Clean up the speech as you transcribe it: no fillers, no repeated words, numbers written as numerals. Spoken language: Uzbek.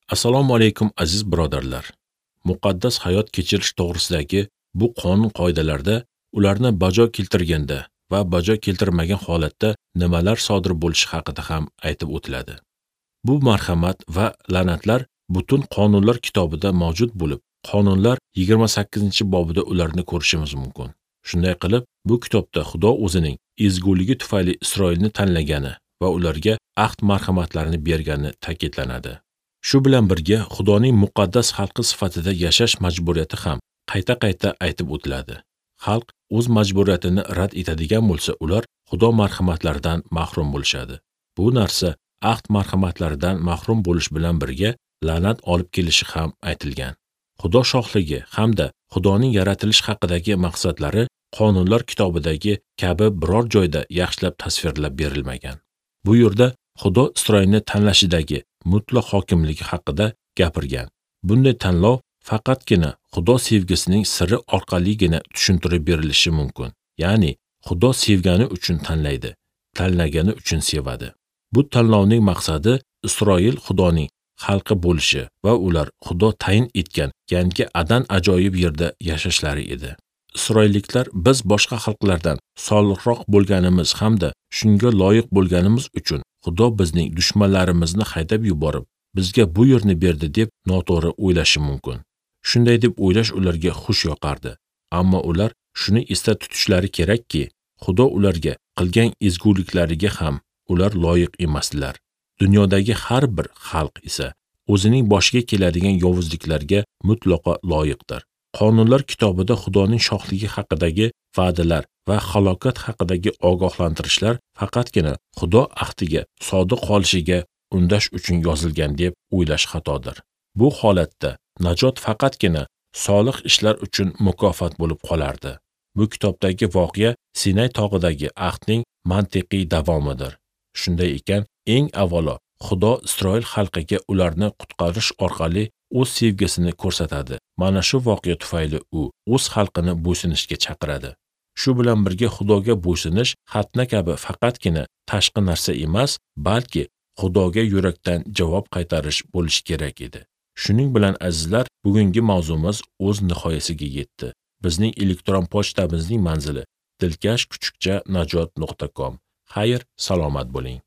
Assalomu alaykum aziz birodarlar. Muqaddas hayot kechirish to'g'risidagi bu qonun qoidalarda ularni bajo keltirganda va bajo keltirmagan holatda nimalar sodir bo'lishi haqida ham aytib o'tiladi. Bu marhamat va la'natlar butun qonunlar kitobida mavjud bo'lib, qonunlar 28-bobida ularni ko'rishimiz mumkin. Shunday qilib, bu kitobda Xudo o'zining ezguligi tufayli Isroilni tanlagani va ularga ahd marhamatlarini bergani ta'kidlanadi. Shu bilan birga Xudoning muqaddas xalqi sifatida yashash majburiyati ham qayta-qayta aytib o'tiladi. Xalq o'z majburiyatini rad etadigan bo'lsa, ular Xudo marhamatlaridan mahrum bo'lishadi. Bu narsa ahd marhamatlaridan mahrum bo'lish bilan birga la'nat olib kelishi ham aytilgan. Xudo shohligi hamda Xudoning yaratilish haqidagi maqsadlari qonunlar kitobidagi kabi biror joyda yaxshilab tasvirlab berilmagan. Bu yerda Xudo Isroilni tanlashidagi mutlaq hokimligi haqida gapirgan. Bunday tanlov faqatgina Xudo sevgisining siri orqaligina tushuntirib berilishi mumkin. Ya'ni Xudo sevgani uchun tanlaydi, tanlagani uchun sevadi. Bu tanlovning maqsadi Isroil Xudoning xalqi bo'lishi va ular Xudo tayin etgan yangi Adan ajoyib yerda yashashlari edi. Isroilliklar biz boshqa xalqlardan solihroq bo'lganimiz hamda shunga loyiq bo'lganimiz uchun Xudo bizning dushmanlarimizni haydab yuborib, bizga bu yerni berdi deb noto'g'ri o'ylashi mumkin. Shunday deb o'ylash ularga xush yoqardi. Ammo ular shuni esda tutishlari kerakki, Xudo ularga qilgan ezguliklariga ham ular loyiq emasdilar. Dunyodagi har bir xalq esa o'zining boshiga keladigan yovuzliklarga mutlaqo loyiqdir. Qonunlar kitobida Xudoning shohligi haqidagi va'dalar va halokat haqidagi ogohlantirishlar faqatgina Xudo ahdiga sodiq qolishiga undash uchun yozilgan deb o'ylash xatodir. Bu holatda najot faqatgina solih ishlar uchun mukofot bo'lib qolardi. Bu kitobdagi voqea Sinay tog'idagi ahdning mantiqiy davomidir. Shunday ekan, eng avvalo Xudo Isroil xalqiga ularni qutqarish orqali o'z sevgisini ko'rsatadi. Mana shu voqea tufayli u o'z xalqini bo'ysunishga chaqiradi. Shu bilan birga Xudoga bo'ysunish xatna kabi faqatgina tashqi narsa emas, balki Xudoga yurakdan javob qaytarish bo'lishi kerak edi. Shuning bilan azizlar, bugungi mavzumiz o'z nihoyasiga yetdi. Bizning elektron pochtamizning manzili dilkash@najot.com. Xayr, salomat bo'ling.